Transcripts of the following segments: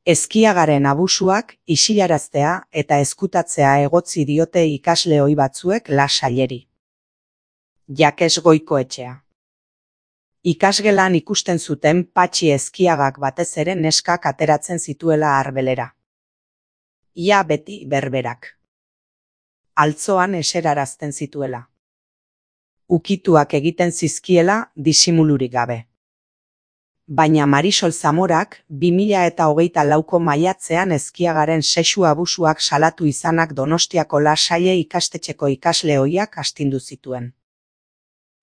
Ezkiagaren abusuak isilaraztea eta ezkutatzea egotzi diote ikasle ohi batzuek Lasaileri. Jakes Goikoetxea. Ikasgelan ikusten zuten Patxi Ezkiagak batez ere neskak ateratzen zituela arbelera. Ia beti berberak. Altzoan eserarazten zituela. Ukituak egiten zizkiela disimulurik gabe. Baina Marisol Zamorak 2024ko maiatzean Ezkiagaren sexu abusuak salatu izanak Donostiako Lasaie ikastetxeko ikasle ohiak astindu zituen.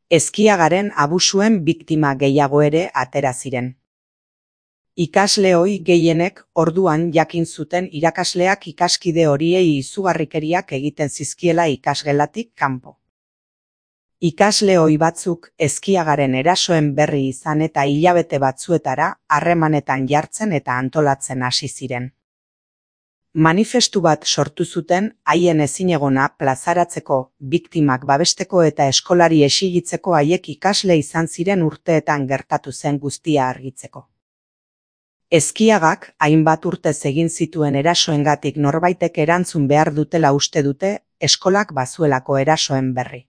Ezkiagaren abusuen biktima gehiago ere atera ziren. Ikasle ohi gehienek orduan jakin zuten irakasleak ikaskide horiei izugarrikeriak egiten zizkiela ikasgelatik kanpo. Ikasle ohi batzuk Ezkiagaren erasoen berri izan eta hilabete batzuetara harremanetan jartzen eta antolatzen hasi ziren. Manifestu bat sortu zuten haien ezinegona plazaratzeko, biktimak babesteko eta eskolari exigitzeko haiek ikasle izan ziren urteetan gertatu zen guztia argitzeko. Ezkiagak hainbat urtez egin zituen erasoengatik norbaitek erantzun behar dutela uste dute eskolak bazuelako erasoen berri.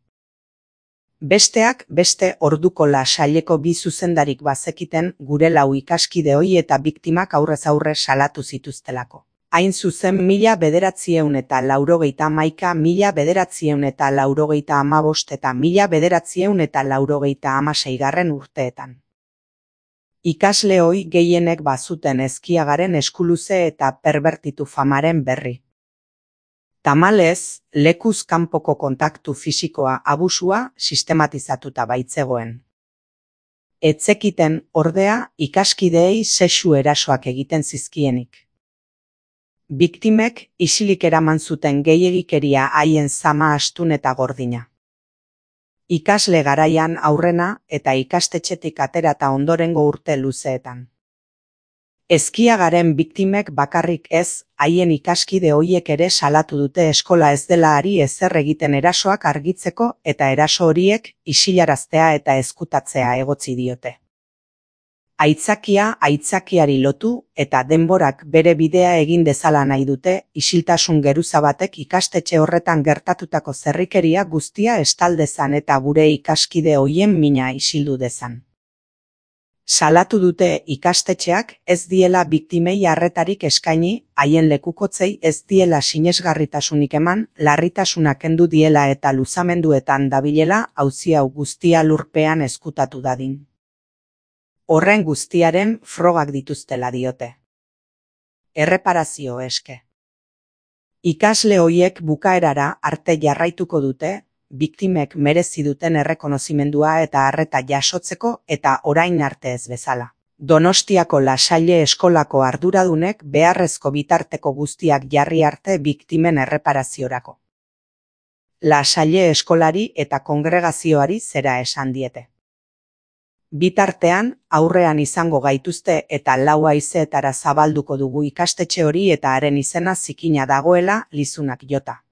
Besteak beste orduko Lasaileko bi zuzendarik bazekiten gure lau ikaskide ohi eta biktimak aurrez aurre salatu zituztelako. Hain zuzen 1991, 1995 eta 1996 urteetan. Ikasle ohi gehienek bazuten Ezkiagaren eskuluze eta perbertitu famaren berri. Tamalez, lekuz kanpoko kontaktu fisikoa abusua sistematizatuta baitzegoen. Ez zekiten, ordea, ikaskideei sexu erasoak egiten zizkienik. Biktimek isilik eraman zuten gehiegikeria haien zama astun eta gordina. Ikasle garaian aurrena eta ikastetxetik aterata ondorengo urte luzeetan. Ezkiagaren biktimek bakarrik ez, haien ikaskide horiek ere salatu dute eskola ez dela ari ezer egiten erasoak argitzeko eta eraso horiek isilaraztea eta ezkutatzea egotzi diote. Aitzakiari lotu eta denborak bere bidea egin dezala nahi dute isiltasun geruza batek ikastetxe horretan gertatutako zerrikeria guztia estal dezan eta gure ikaskide horien mina isildu dezan. Salatu dute ikastetxeak ez diela biktimei arretarik eskaini, haien lekukotzei ez diela sinesgarritasunik eman, larritasuna kendu diela eta luzamenduetan dabilela auzi hau guztia lurpean ezkutatu dadin. Horren guztiaren frogak dituztela diote. Erreparazio eske. Ikasle horiek bukaerara arte jarraituko dute, biktimek merezi duten errekonozimendua eta arreta jasotzeko eta orain arte ez bezala. Donostiako Lasaile eskolako arduradunek beharrezko bitarteko guztiak jarri arte biktimen erreparaziorako. Lasaile eskolari eta kongregazioari zera esan diete. Bitartean, aurrean izango gaituzte eta 4 haizeetara zabalduko dugu ikastetxe hori eta haren izena zikina dagoela lizunak jota.